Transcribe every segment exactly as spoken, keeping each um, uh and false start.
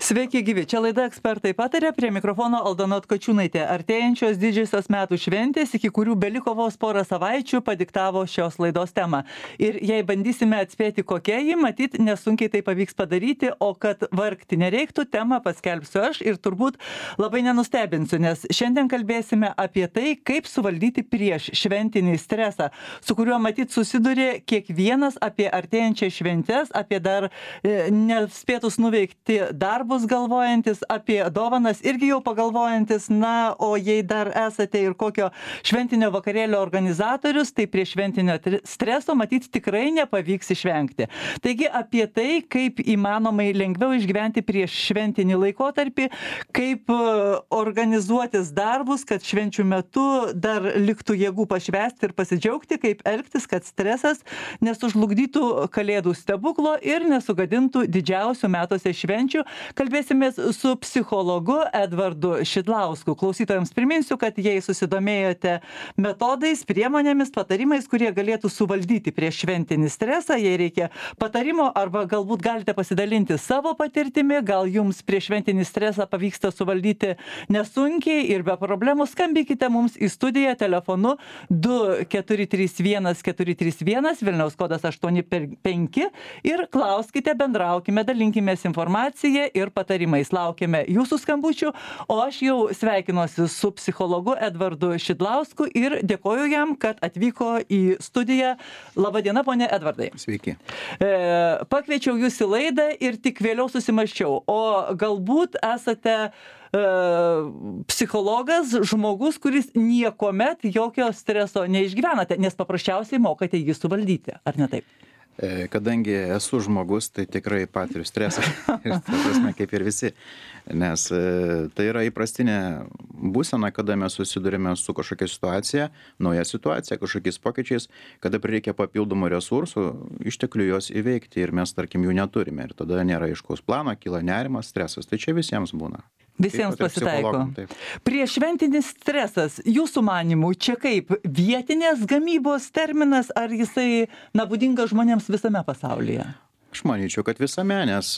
Sveiki gyvi, čia laida Ekspertai patarė, prie mikrofono Aldona Tkačiūnaitė. Artėjančios didžiosios metų šventės, iki kurių beliko vos porą savaičių, padiktavo šios laidos temą. Ir jei bandysime atspėti, kokia ji, matyt, nesunkiai tai pavyks padaryti, o kad vargti nereiktų, temą paskelbsiu aš ir turbūt labai nenustebinsiu, nes šiandien kalbėsime apie tai, kaip suvaldyti prieš šventinį stresą, su kuriuo matyt susiduria kiekvienas apie artėjančias šventes, apie dar e, nespėtus nuveikti darbus galvojantis, apie dovanas irgi jau pagalvojantis, na, o jei dar esate ir kokio šventinio vakarėlio organizatorius, tai prie šventinio streso matyt tikrai nepavyks išvengti. Taigi apie tai, kaip įmanomai lengviau išgyventi prieš šventinį laikotarpį, kaip organizuotis darbus, kad švenčių metu dar liktų jėgų pašvęsti ir pasidžiaugti, kaip elgtis, kad stresas nesužlugdytų kalėdų stebuklo ir nesugadintų didžiausių metuose švenčių. Kalbėsimės su psichologu Edvardu Šidlausku. Klausytojams priminsiu, kad jei susidomėjote metodais, priemonėmis, patarimais, kurie galėtų suvaldyti prieš šventinį stresą, jei reikia patarimo arba galbūt galite pasidalinti savo patirtimi, gal jums prieš šventinį stresą pavyksta suvaldyti nesunkiai ir be problemų, skambinkite mums į studiją telefonu du keturi trys vienas keturi trys vienas, Vilniaus kodas aštuoni penki ir klauskite, bendraukime, dalinkimės informaciją ir patarimais. Laukiame jūsų skambučių, o aš jau sveikinuosi su psichologu Edvardu Šidlausku ir dėkoju jam, kad atvyko į studiją. Labadiena, ponė Edvardai. Sveiki. E, pakviečiau jūs į laidą ir tik vėliau susimaščiau, o galbūt esate e, psichologas, žmogus, kuris niekuomet jokio streso neišgyvenate, nes paprasčiausiai mokate jį suvaldyti, ar ne taip? Kadangi esu žmogus, tai tikrai patiriu stresą, ir ta prasme, kaip ir visi, nes tai yra įprastinė būsena, kada mes susidurime su kažkokia situacija, nauja situacija, kažkokiais pokyčiais, kada prireikia papildomų resursų, išteklių jos įveikti ir mes, tarkim, jų neturime ir tada nėra aiškaus plano, kyla nerimas, stresas, tai čia visiems būna. Visiems pasitaiko. Prieš šventinis stresas, jūsų manimų, čia kaip vietinės gamybos terminas, ar jisai, na, būdingas žmonėms visame pasaulyje? Aš manyčiau, kad visame, nes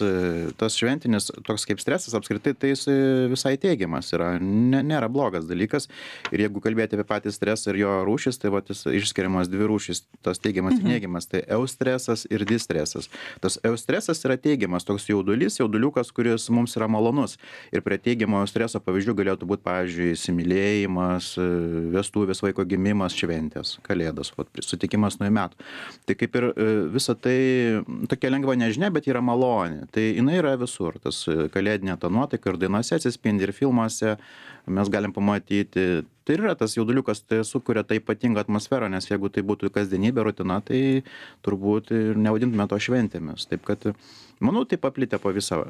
tas šventinis toks kaip stresas apskritai, tai jis visai teigiamas yra, ne, nėra blogas dalykas. Ir jeigu kalbėti apie patį stresą ir jo rūšis, tai va, jis išskiriamas dvi rūšis, tas teigiamas mhm. ir neigiamas, tai eustresas ir distresas. Tas eustresas yra teigiamas, toks jaudulys, jauduliukas, kuris mums yra malonus. Ir prie teigiamo streso pavyzdžių galėtų būti, pavyzdžiui, įsimylėjimas, vestuvės, vaiko gimimas, šventės, kalėdos, va, sutikimas nuo metų. Tai kaip ir visa tai tokia lengva nežinia, bet yra malonė. Tai jinai yra visur. Tas kalėdinė ta nuotaika ir dainose atsispindi, ir filmuose mes galim pamatyti. Tai yra tas jauduliukas, tai sukuria tą ypatingą atmosferą, nes jeigu tai būtų kasdienybė, rutina, tai turbūt ir nevadintume to šventėmis. Taip kad, manau, tai paplitę po visą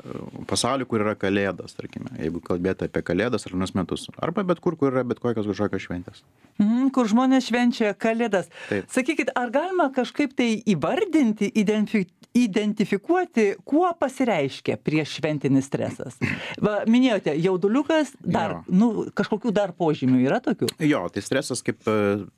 pasaulį, kur yra kalėdos, tarkime, jeigu kalbėti apie kalėdas ar naujus metus. Arba bet kur, kur yra bet kokios kažkokios šventės. Mm, kur žmonės švenčia kalėdas. Taip. Sakykit, ar galima kažkaip tai įvardinti, identifikuoti, identifikuoti, kuo pasireiškia prieš šventinis stresas? Va, minėjote, jauduliukas, dar, nu, kažkokių dar požymių yra tokių? Jo, tai stresas kaip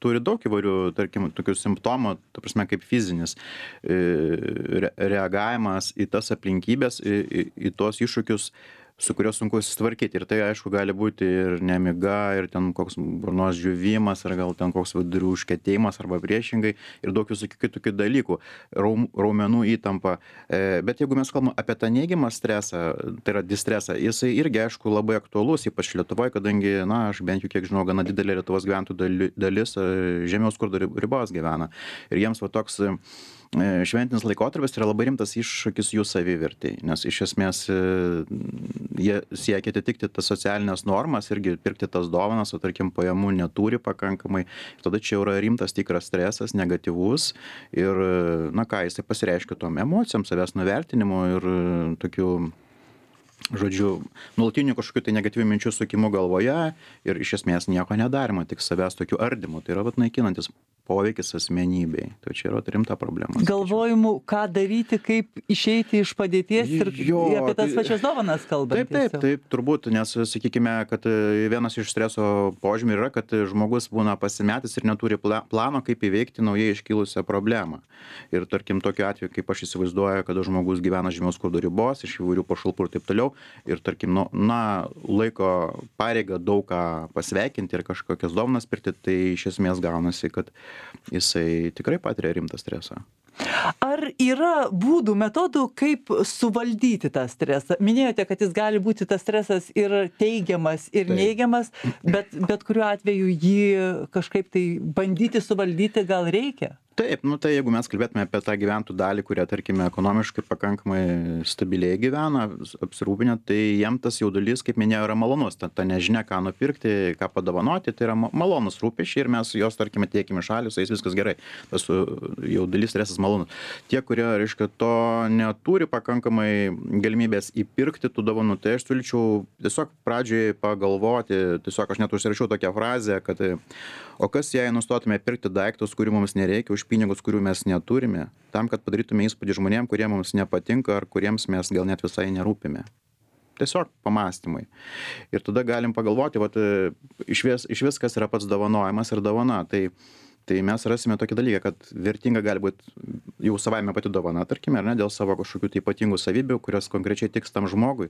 turi daug įvairių, tarkim, tokių simptomų, ta prasme, kaip fizinis re, reagavimas į tas aplinkybės, į, į, į tuos iššūkius, su kuriuo sunku susitvarkyti. Ir tai, aišku, gali būti ir nemiga, ir ten koks burnos džiuvimas, ar gal ten koks vidurių užkietėjimas, arba priešingai, ir daug visokių kitokių dalykų, raum, raumenų įtampa. E, bet jeigu mes kalbame apie tą neigiamą stresą, tai yra distresą, jisai irgi, aišku, labai aktualus, ypač Lietuvoje, kadangi, na, aš bent jau kiek žinau, gana didelė Lietuvos gyventojų dalis žemiau skurdo ribos gyvena. Ir jiems va toks šventinis laikotarpis yra labai rimtas iššūkis jų savivertei, nes iš esmės jie siekia atitikti tas socialinės normas, irgi pirkti tas dovanas, o tarkim pajamų neturi pakankamai. Tada čia yra rimtas tikras stresas, negatyvus ir, na ką, jisai pasireiškia tom emocijom, savęs nuvertinimu ir tokiu, žodžiu, nuolatinių kažkokių tai negatyvių minčių sukimų galvoje ir iš esmės nieko nedarimo, tik savęs tokių ardymų. Tai yra vat naikinantis poveikis asmenybei. Tai čia yra rimta problema. Galvojimų, ką daryti, kaip išeiti iš padėties ir Jo, apie tas tai- pačias dovanas kalbant. Taip, taip, tiesiog. taip, turbūt, nes sakykime, kad vienas iš streso požymių yra, kad žmogus būna pasimetęs ir neturi pla- plano, kaip įveikti naujai iškilusią problemą. Ir tarkim, tokiu atveju, kaip aš įsivaizduoju, kad žmogus gyvena žemiau skurdo ribos, iš įvairių pašalpų ir taip toliau, ir tarkim, nu, na, laiko pareigą daug ką pasveikinti ir kažkokias dovanas pirkti, tai iš esmės gaunasi, kad jisai tikrai patiria rimtą stresą. Ar yra būdų, metodų, kaip suvaldyti tą stresą? Minėjote, kad jis gali būti tas stresas ir teigiamas, ir Taip. neigiamas, bet, bet kuriuo atveju jį kažkaip tai bandyti suvaldyti gal reikia? Taip, nu tai jeigu mes kalbėtume apie tą gyventojų dalį, kurie, tarkime, ekonomiškai pakankamai stabiliai gyvena, apsirūpinę, tai jiem tas jaudulys, kaip minėjau, yra malonus. Ta, ta nežinia, ką nupirkti, ką padovanoti, tai yra ma- malonus rūpesčiai ir mes jos, tarkime, tiekime šalį, su jais viskas gerai. Tas uh, jaudulys, stresas malonus. Tie, kurie, reiškia, to neturi pakankamai galimybės įpirkti tų dovanų, tai aš siūlyčiau tiesiog pradžiai pagalvoti, tiesiog aš net užsirašiau tokią frazę, kad o kas jei nustotume pirkti daiktus, kurių mums nereikia, už pinigus, kurių mes neturime, tam, kad padarytume įspūdį žmonėm, kurie mums nepatinka ar kuriems mes gal net visai nerūpime. Tiesiog pamastymai. Ir tada galim pagalvoti, vat, iš vis, iš vis kas yra pats dovanojimas ir dovana. Tai Tai mes rasime tokį dalyką, kad vertinga gali būti jau savaime pati dovana, tarkime, ar ne, dėl savo kažkokių tai ypatingų savybių, kurios konkrečiai tiks tam žmogui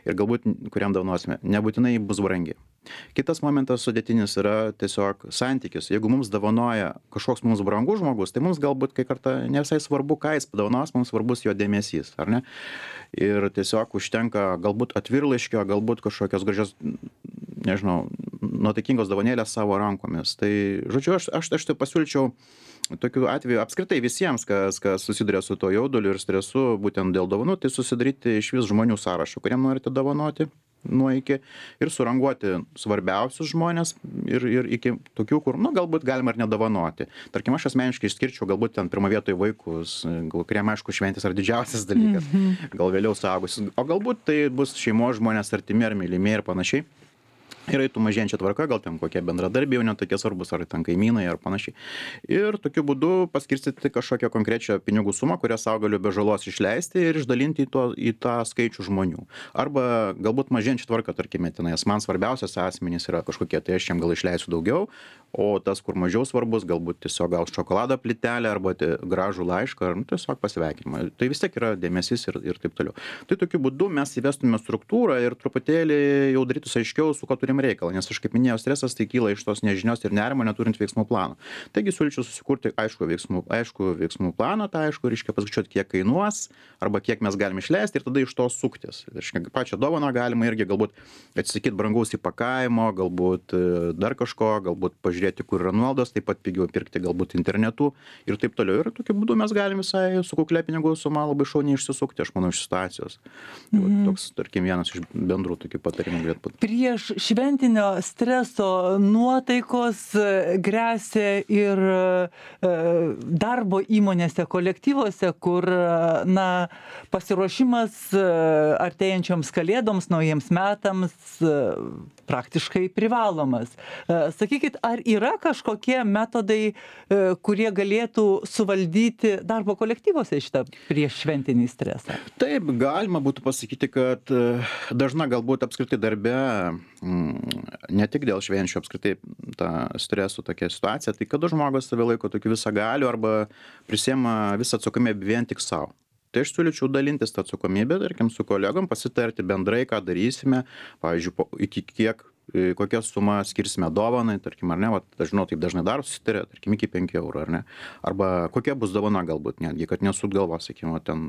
ir galbūt kuriam dovanosime, nebūtinai bus brangi. Kitas momentas sudėtinis yra tiesiog santykis. Jeigu mums dovanoja kažkoks mums brangus žmogus, tai mums galbūt kai kartą ne visai svarbu, ką jis padovanos, mums svarbus jo dėmesys, ar ne? Ir tiesiog užtenka galbūt atvirlaiškio, galbūt kažkokios gražios, nežinau, nuotaikingos dovanėlės savo rankomis. Tai, žodžiu, aš, aš, aš tai pasiūlyčiau tokiu atveju apskritai visiems, kas, kas susiduria su to jauduliu ir stresu, būtent dėl dovanų, tai susidaryti iš vis žmonių sąrašą, kuriem norite dovanoti nuo iki ir suranguoti svarbiausius žmonės ir, ir iki tokių, kur, nu, galbūt galima ir nedovanoti. Tarkim, aš asmeniškai išskirčiau galbūt ten pirmą vietoj vaikus, gal kuriem, aišku, šventės yra didžiausias dalykas, gal vėliau suaugusius, o galbūt tai bus šeimos žmonės artimi ar mylimi ir panašiai. Ir eitų mažėjančia tvarka, gal ten kokie bendradarbiai jau netokie svarbus, ar ten kaimynai, ar panašiai. Ir tokiu būdu paskirstyti kažkokią konkrečią pinigų sumą, kurią savo galiu be žalos išleisti ir išdalinti į, to, į tą skaičių žmonių. Arba galbūt mažėjančia tvarka, tarkime, tenais man svarbiausias asmenys yra kažkokie, tai aš jam gal išleisiu daugiau, o tas, kur mažiau svarbus, galbūt tiesiog gal šokolado plytelę arba gražų laišką, ar nu, tiesiog pasveikinimą. Tai vis tiek yra dėmesys ir, ir taip toliau. Tai tokiu būdu mes įvestume struktūrą ir truputėlį jau darytus aiškiau, su ko turim reikalą, nes aš kaip minėjau, stresas tai kyla iš tos nežinios ir nerimo, neturint veiksmų plano. Taigi siūlyčiau susikurti aišku veiksmų, aišku veiksmų planą, tai aišku, reiškia paskaičiuoti, kiek kainuos arba kiek mes galime išleisti ir tada iš to suktis. Reiškia, pačią dovaną galima irgi galbūt atsisakyti brangaus įpakavimo, galbūt dar kažko, galbūt pažiūrėti, kur yra nuolaidos, taip pat pigiau pirkti galbūt internetu ir taip toliau. Ir tokiu būdu mes galime visai su kuklia pinigų suma labai šauniai išsisukti, aš manau, iš situacijos. Mhm. Toks, tarkim, vienas iš bendrų tokių patarimų galėtų būti. Prieš šventinio streso nuotaikos gresia ir darbo įmonėse, kolektyvuose, kur na, pasiruošimas artėjančioms kalėdoms, naujiems metams praktiškai privalomas. Sakykit, ar yra kažkokie metodai, kurie galėtų suvaldyti darbo kolektyvuose šitą prieš šventinį stresą? Taip, galima būtų pasakyti, kad dažna galbūt apskritai darbe, ne tik dėl švenčių apskritai tą stresų tokia situacija, tai kada žmogus save laiko tokiu visagaliu arba prisiema visą atsakomybę vien tik savo. Tai aš siūlyčiau dalintis tą atsakomybę, tarkim, su kolegom, pasitarti bendrai, ką darysime, pavyzdžiui, iki kiek, kokią sumą skirsime dovanai, tarkim, ar ne, va, aš žinau, taip dažnai daro, susitarė, tarkim, iki penkių eurų, ar ne, arba kokia bus dovana galbūt netgi, kad nesut galvos, sakykime, ten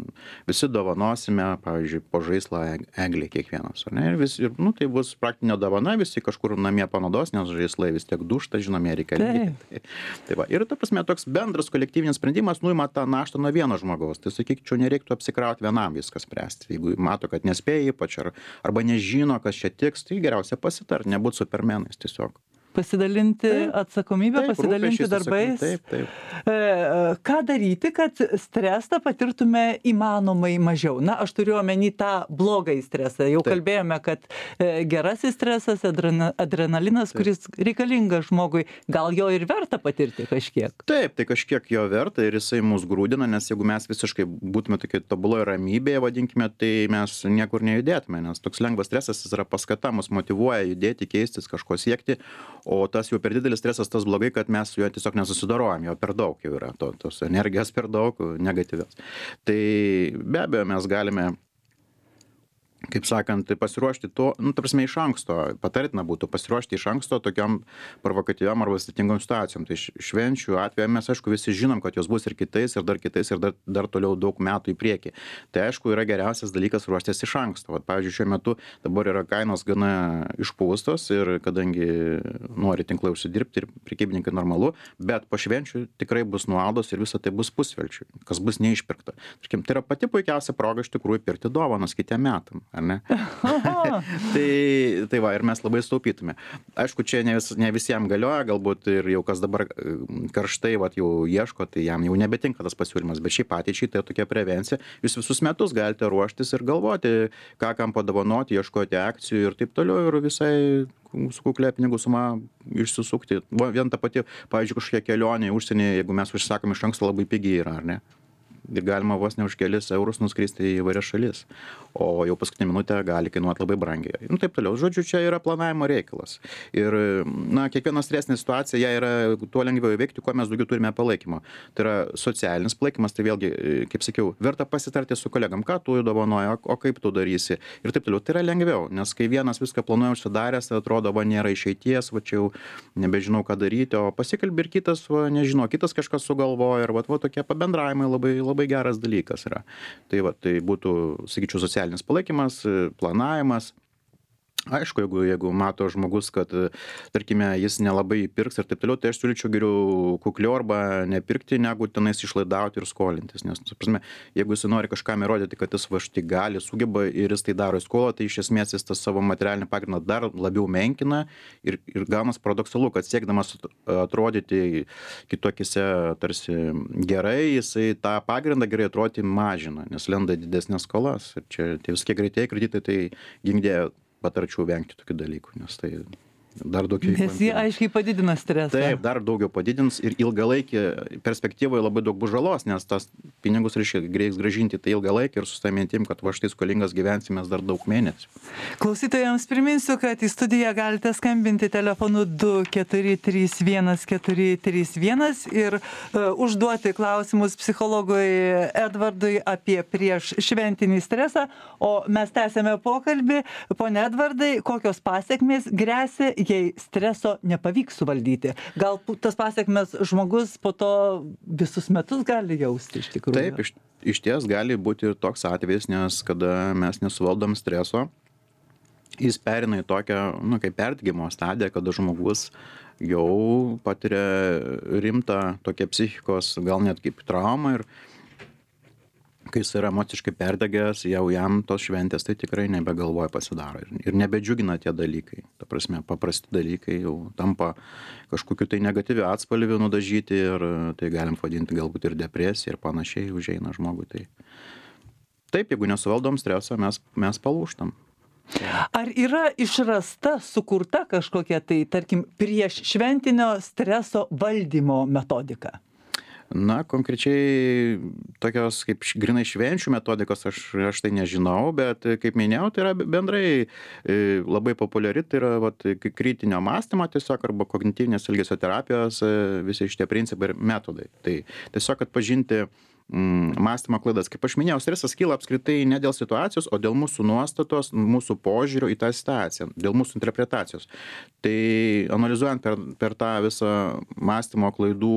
visi dovanosime, pavyzdžiui, po žaislą eglį kiekvienas, ar ne, ir, vis, ir nu, tai bus praktinė dovana, visi kažkur namie panaudos, nes žaislai vis tiek dušta, žinome, reikia. Tai, tai va, ir ta prasme, toks bendras kolektyvinis sprendimas nuima tą naštą nuo vieno žmogaus, tai sakyčiau, nereiktų apsikrauti vienam viskas spręsti, jeigu mato, kad nespėja ypač, ar, arba nežino, kas čia tiks, tai geriausia pasitarti, nebūti supermenais tiesiog. pasidalinti atsakomybę, Taip, pasidalinti rūpesčiais, darbais. Taip, taip. E, Ką daryti, kad stresą patirtume įmanomai mažiau? Na, aš turiu omeny tą blogąjį stresą. Jau Taip. kalbėjome, kad e, gerasis stresas, adrena, adrenalinas, Taip. kuris reikalingas žmogui, gal jo ir verta patirti kažkiek? Taip, tai kažkiek jo verta ir jisai mus grūdina, nes jeigu mes visiškai būtume tokie tobuloje ramybėje, vadinkime, tai mes niekur nejudėtume, nes toks lengvas stresas jis yra paskata, mus motyvuoja judėti, keistis, kažko siekti, o tas jau per didelis stresas, tas blogai, kad mes su juo tiesiog nesusidorojam, jo per daug jau yra, to, tos energijos per daug negatyvios. Tai be abejo mes galime, kaip sakant, pasiruošti to, nu, ta prasme, iš anksto, patartina būtų pasiruošti iš anksto tokiam provokatyviam arba sudėtingom situacijom. Tai švenčių atveju mes, aišku, visi žinom, kad jos bus ir kitais, ir dar kitais, ir dar, dar toliau daug metų į priekį. Tai, aišku, yra geriausias dalykas ruoštis iš anksto. Vat, pavyzdžiui, šiuo metu dabar yra kainos gana išpūstos ir kadangi nori tinklai užsidirbti ir prekybininkai normalu, bet po švenčių tikrai bus nuolaidos ir visa tai bus pusvelčiui, kas bus neišpirkta. Tarkim, tai yra pati puikiausia proga iš tikrųjų pirkti dovanas kitiem metam. Ar ne? tai, tai va, ir mes labai staupytume. Aišku, čia ne, vis, ne visiems galioja, galbūt ir jau kas dabar karštai vat, jau ieško, tai jam jau nebetinka tas pasiūlymas, bet šiaip ateičiai tai tokia prevencija. Jūs visus metus galite ruoštis ir galvoti, ką kam padovanoti, ieškoti akcijų ir taip toliau ir visai su kuklė pinigų suma išsisukti. Vien ta pati, pavyzdžiui, kažkokia kelionė į užsienį, jeigu mes užsakom iš anksto, labai pigiai yra, ar ne? Ir galima vos ne už kelis eurus nuskristi į įvairias šalis, o jau paskutinę minutę gali kainuoti labai brangiai. Nu, taip toliau. Žodžiu, čia yra planavimo reikalas. Ir, na, kiekviena stresinė situacija, ją yra tuo lengviau įveikti, kuo mes daugiau turime palaikymo. Tai yra socialinis palaikymas, tai vėlgi, kaip sakiau, verta pasitarti su kolegam, ką tu dovanoji, o kaip tu darysi. Ir taip toliau. Tai yra lengviau, nes kai vienas viską planuoja užsidaręs, atrodo, va, nėra išeities, va, čia jau nebežinau, ką daryti, o pasikalbi ir kitas, va, nežinau, kitas kažkas sugalvoja, ir va, va tokie pabendravimai labai, labai labai geras dalykas yra. Tai va, tai būtų, sakyčiau, socialinis palaikymas, planavimas. Aišku, jeigu, jeigu mato žmogus, kad, tarkime, jis nelabai pirks ir taip toliau, tai aš siūlyčiau geriau kukliau arba nepirkti, negu tenais išlaidauti ir skolintis. Nes, prasme, jeigu jis nori kažkam įrodyti, kad jis va štai gali, sugeba ir jis tai daro į skolą, tai iš esmės jis tą savo materialinį pagrindą dar labiau menkina ir, ir gaunas paradoksalu, kad siekdamas atrodyti kitokise tarsi gerai, jisai tą pagrindą gerai atrodyti mažina, nes lenda didesnės skolas. Ir čia tie visokie greitieji kreditai, tai gingdė patarčiau vengti tokių dalykų, nes tai dar daugiau. Nes jie aiškiai padidina stresą. Taip, dar daugiau padidins ir ilgalaikį perspektyvoje labai daug bus žalos, nes tas pinigus reikia reiks grąžinti tai ilgalaikį ir su tą mintim, kad va štai skolingas gyvensimės dar daug mėnesių. Klausytojams priminsiu, kad į studiją galite skambinti telefonu du keturi trys vienas keturi trys vienas ir uh, užduoti klausimus psichologui Edvardui apie prieš šventinį stresą, o mes tęsėme pokalbį. Pone Edvardai, kokios pasekmės gresia, jei streso nepavyks suvaldyti? Gal tas pasekmes žmogus po to visus metus gali jausti iš tikrųjų? Taip, iš, iš ties gali būti ir toks atvejis, nes kada mes nesuvaldom streso, jis perina į tokią, nu, kaip perdegimo stadiją, kada žmogus jau patiria rimtą tokią psichikos, gal net kaip traumą ir kai jis yra emociškai perdegęs, jau jam tos šventės tai tikrai nebegalvoja pasidaro ir, ir nebedžiugina tie dalykai. Ta prasme, paprasti dalykai jau tampa kažkokiu tai negatyviu atspalviu nudažyti ir tai galim vadinti galbūt ir depresiją ir panašiai užeina žmogui. Tai taip, jeigu nesuvaldom streso, mes, mes palūžtam. Ar yra išrasta, sukurta kažkokia tai, tarkim, prieš šventinio streso valdymo metodika? Na, konkrečiai tokios kaip grinai švenčių metodikos aš, aš tai nežinau, bet kaip minėjau, tai yra bendrai labai populiari, tai yra vat, kritinio mąstymo tiesiog arba kognityvinės elgesio terapijos visi šitie principai ir metodai. Tai tiesiog atpažinti mąstymo klaidas. Kaip aš minėjau, stresas kyla apskritai ne dėl situacijos, o dėl mūsų nuostatos, mūsų požiūrio į tą situaciją, dėl mūsų interpretacijos. Tai analizuojant per, per tą visą mąstymo klaidų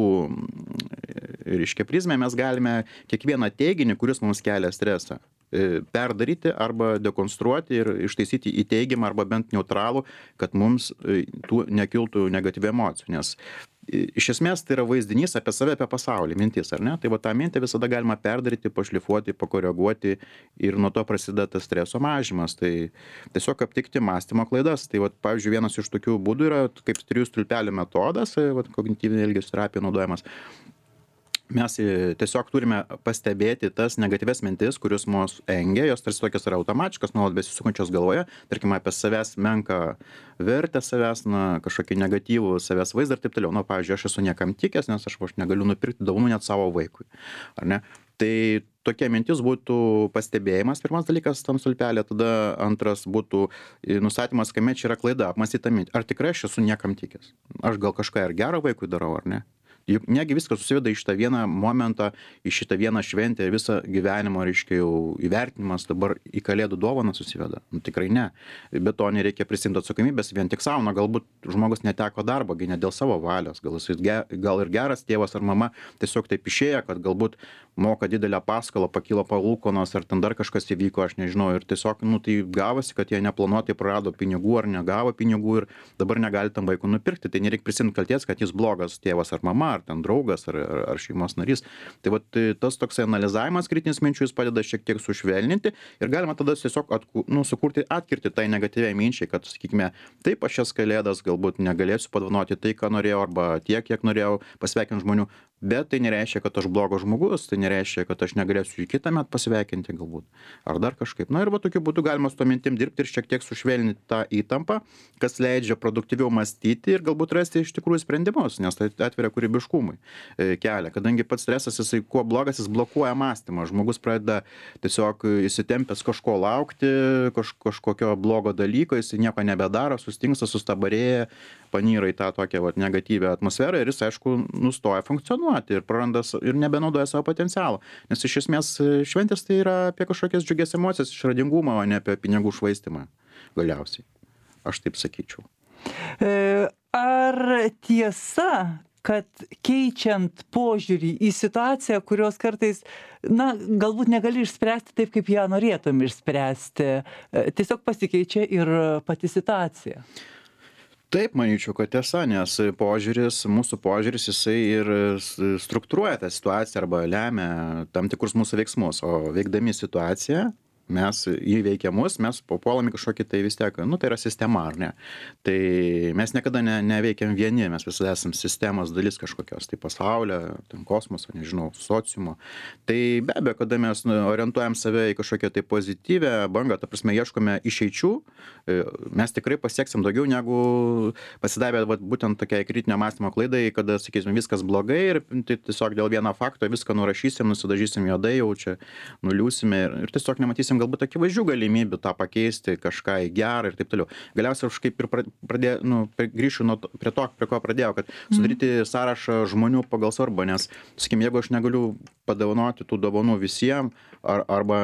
reiškia prizmę, mes galime kiekvieną teiginį, kuris mums kelia stresą, perdaryti arba dekonstruoti ir ištaisyti į teigiamą arba bent neutralų, kad mums tų nekiltų negatyvių emocijų. Nes iš esmės tai yra vaizdinys apie save, apie pasaulį, mintis, ar ne? Tai va tą mintį visada galima perdaryti, pašlifuoti, pakoreguoti ir nuo to prasideda tas streso mažymas. Tai tiesiog aptikti mąstymo klaidas. Tai va, pavyzdžiui, vienas iš tokių būdų yra kaip trijų stulpelių metodas, va, kognityvinė elgesio terapija naudojamas. Mes tiesiog turime pastebėti tas negatyvias mintis, kurios mus engia, jos tarsi tokios yra automatiškos, nuolat besisukančios galvoje, tarkim apie savęs menką vertę savęs, na, kažkokį negatyvų savęs vaizdą ir taip toliau. Na, pavyzdžiui, aš esu niekam tikęs, nes aš, aš negaliu nupirkti dovanų net savo vaikui. Ar ne? Tai tokia mintis būtų pastebėjimas, pirmas dalykas tam stulpelė, tada antras būtų nustatymas, kame čia yra klaida, apmąstyta mintį. Ar tikrai aš esu niekam tikęs? Aš gal kažką ir gerą vaikui darau, ar ne? Juk negi viskas susiveda į šitą vieną momentą, į šitą vieną šventę ir visą gyvenimo, reiškia, jau įvertinimas dabar į kalėdų dovaną susiveda. Nu, tikrai ne. Bet to nereikia prisimti atsakomybės vien tik savo. Na, galbūt žmogus neteko darbo, ne dėl savo valios. Gal, jis, gal ir geras tėvas ar mama tiesiog taip išėjo, kad galbūt moka didelę paskolą, pakilo palūkanos ar ten dar kažkas įvyko, aš nežinau. Ir tiesiog, nu, tai gavosi, kad jie neplanuotai prarado pinigų ar negavo pinigų ir dabar negali tam vaikui nupirkti. Tai nereikia prisimti kalties, kad jis blogas tėvas ar mama, ar ten draugas, ar, ar, ar šeimos narys. Tai vat tas toksai analizavimas kritinis minčių jis padeda šiek tiek sušvelninti ir galima tada tiesiog atku, nu, sukurti atkirti tai negatyviai minčiai, kad, sakykime, taip aš šias kalėdas galbūt negalėsiu padovanoti tai, ką norėjau, arba tiek, kiek norėjau pasveikinti žmonių, bet tai nereiškia, kad aš blogas žmogus, tai nereiškia, kad aš negalėsiu į kitą metą pasveikinti galbūt, ar dar kažkaip. Na ir va tokiu būdu galima su to mintim dirbti ir šiek tiek sušvelninti tą įtampą, kas leidžia produktyviau mąstyti ir galbūt rasti iš tikrųjų sprendimus, nes tai atveria kūrybiškumui kelią, kadangi pats stresas, jisai kuo blogas, jis blokuoja mąstymą, žmogus pradeda tiesiog įsitempęs kažko laukti, kaž, kažkokio blogo dalyko, jisai nieko nebedaro, sustingsta, sustabarėja, panyra į tą tokią vat, negatyvę atmosferą ir jis, aišku, nustoja funkcionuoti ir praranda ir nebenaudoja savo potencialą. Nes iš esmės šventės tai yra apie kažkokias džiugias emocijas, išradingumą, o ne apie pinigų švaistimą galiausiai. Aš taip sakyčiau. Ar tiesa, kad keičiant požiūrį į situaciją, kurios kartais, na, galbūt negali išspręsti taip, kaip ją norėtum išspręsti, tiesiog pasikeičia ir pati situacija? Taip, manyčiau, kad tiesa, nes požiūris, mūsų požiūris, jisai ir struktūruoja tą situaciją arba lemia tam tikrus mūsų veiksmus, o veikdami situaciją, mes įveikia mus, mes papuolame kažkokį tai vis tiek, nu tai yra sistema, ar ne? Tai mes niekada ne, neveikiam vieni, mes visada esam sistemos dalis kažkokios, tai pasaulio, ten kosmoso, nežinau, sociumo. Tai be abejo, kada mes orientuojam save į kažkokią tai pozityvę bangą, ta prasme, ieškome išeičių, mes tikrai pasieksim daugiau negu pasidavę vat, būtent tokiai kritinio mąstymo klaidai, kada, sakysim, viskas blogai ir tai tiesiog dėl vieno fakto viską nurašysim, nusidažysim juodai, jau čia nuliūsime ir, ir tiesiog nematysim galbūt akivaizdžių galimybių tą pakeisti, kažką į gerą ir taip toliau. Galiausiai aš kaip ir pradėjau, nu, grįšiu nuo to, prie to, prie ko pradėjau, kad sudaryti sąrašą žmonių pagal svarbą, nes, sakykim, jeigu aš negaliu padovanoti tų dovanų visiems, ar, arba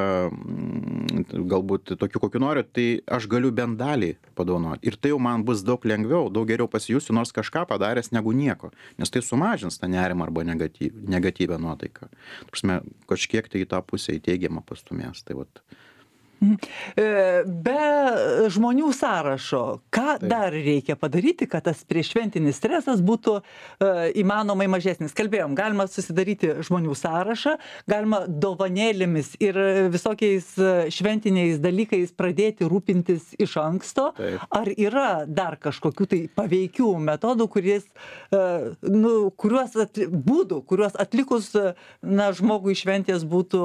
galbūt tokių, kokių noriu, tai aš galiu bent dalį padovanoti. Ir tai jau man bus daug lengviau, daug geriau pasijusiu, nors kažką padaręs negu nieko, nes tai sumažins tą nerimą arba negatyv, negatyvę nuotaiką. Prasme, kažkiek tai į tą pusę į teigiamą pastumės. Tai vat. Be žmonių sąrašo, ką Taip. dar reikia padaryti, kad tas prieššventinis stresas būtų uh, įmanomai mažesnis? Kalbėjom, galima susidaryti žmonių sąrašą, galima dovanėlėmis ir visokiais šventiniais dalykais pradėti rūpintis iš anksto. Taip. Ar yra dar kažkokių tai paveikių metodų, kuris, uh, nu, kuriuos atli, būdų, kuriuos atlikus na, žmogui šventės būtų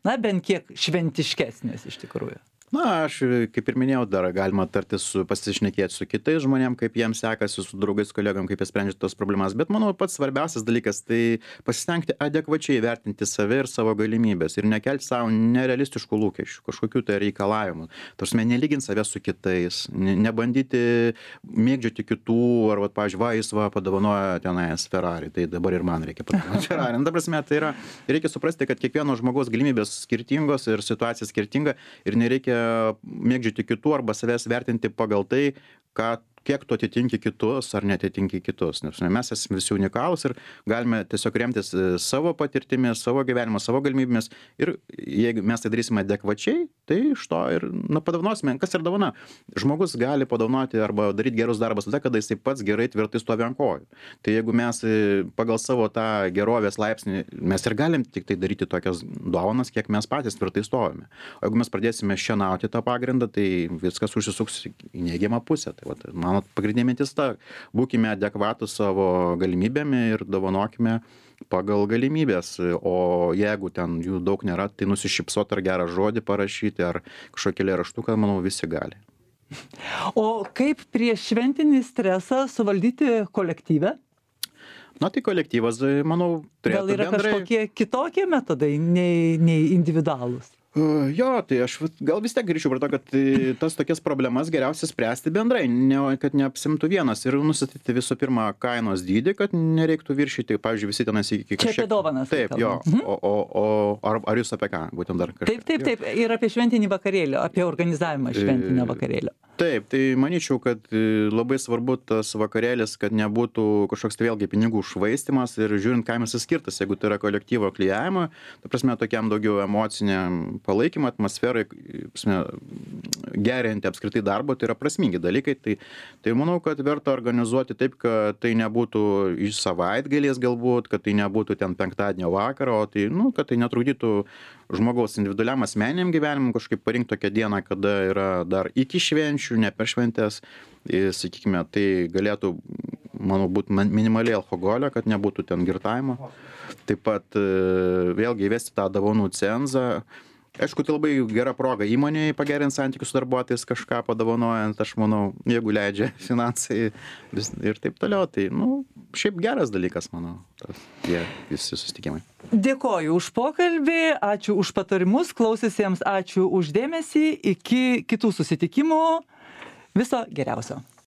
na, bent kiek šventiškesnės iš tikrųjų? Na, aš, kaip ir minėjau, dar galima tartis su, pasišnekėti su kitais žmonėm, kaip jiems sekasi, su draugais, kolegom, kaip jie sprendžia tos problemas. Bet manau, pats svarbiausias dalykas tai pasistengti adekvačiai vertinti save ir savo galimybės ir nekelti savo nerealistiškų lūkesčių, kažkokių tai reikalavimų. Tarsi, nelyginti save su kitais, nebandyti mėgdžioti kitų, ar, va, pavyzdžiui, va, jis va, padovanojo tenais Ferrari, tai dabar ir man reikia padovanoti Ferrari. Na, prasme, tai yra, reikia suprasti, kad kiekvieno žmogaus galimybės skirtingos ir situacija skirtinga ir nereikia mėgdžioti kitų arba savęs vertinti pagal tai, ką kiek tu atitinki kitus ar neatitinki kitus. Nes mes esame visi unikalūs ir galime tiesiog remtis savo patirtimi, savo gyvenimo, savo galimybėmis. Ir jeigu mes tai darysime adekvačiai, tai iš to ir nu, padovanosime. Kas ir dovana? Žmogus gali padovanoti arba daryti gerus darbus tada, kada jisai pats gerai tvirtai stovi ant kojų. Tai jeigu mes pagal savo tą gerovės laipsnį, mes ir galim tik tai daryti tokias dovanas, kiek mes patys tvirtai stovime. O jeigu mes pradėsime šienauti tą pagrindą, tai viskas užsisuks į neigiamą pusę. Tai vat, mano pagrindinė mintis ta, būkime adekvatus savo galimybėmi ir dovanokime pagal galimybės. O jeigu ten jų daug nėra, tai nusišypsot ar gerą žodį parašyti, ar kažkokį eilėraštuką, manau, visi gali. O kaip prieš šventinį stresą suvaldyti kolektyvę? Na tai kolektyvas, manau, turėtų Gal yra bendrai... kažkokie kitokie metodai nei, nei individualūs? Uh, jo, tai aš vat gal vis tiek grįšiu prie to, kad tai, tas tokias problemas geriausia spręsti bendrai, ne, kad neapsimtų vienas ir nustatyti visų pirma kainos dydį, kad nereiktų viršyti, pavyzdžiui, visi tenais iki kažkiek... Čia apie dovanas. Taip, jo, mhm. o, o, o ar, ar jūs apie ką, būtent dar kažką? Taip, taip, taip, ir apie šventinį vakarėlį, apie organizavimą šventinio vakarėlio. Taip, tai manyčiau, kad labai svarbu tas vakarėlis, kad nebūtų kažkoks tai vėlgi pinigų švaistimas ir žiūrint, kam jis skirtas, jeigu tai yra kolektyvo klijavimo, ta prasme, tokiam daugiau emociniam palaikymą, atmosferai, prasme, gerinti apskritai darbo, tai yra prasmingi dalykai. Tai, tai manau, kad verta organizuoti taip, kad tai nebūtų iš savaitgaliais galbūt, kad tai nebūtų ten penktadienio vakaro, o tai, nu, kad tai netrukdytų žmogaus individualiam asmeniniam gyvenimui kažkaip parinkti tokią dieną, kada yra dar iki švenčių, ne per šventės, ir, sakykime, tai galėtų, manau, būti minimaliai alkoholio, kad nebūtų ten girtavimo. Taip pat vėlgi įvesti tą dovanų cenzą. Aišku, tai labai gera proga įmonėje pagerinti santykius su darbuotojais, kažką padovanojant, aš manau, jeigu leidžia finansai ir taip toliau, tai, nu, šiaip geras dalykas, manau, tas, jie visi susitikimai. Dėkoju už pokalbį, ačiū už patarimus, klausiusiems ačiū už dėmesį, iki kitų susitikimų, viso geriausio.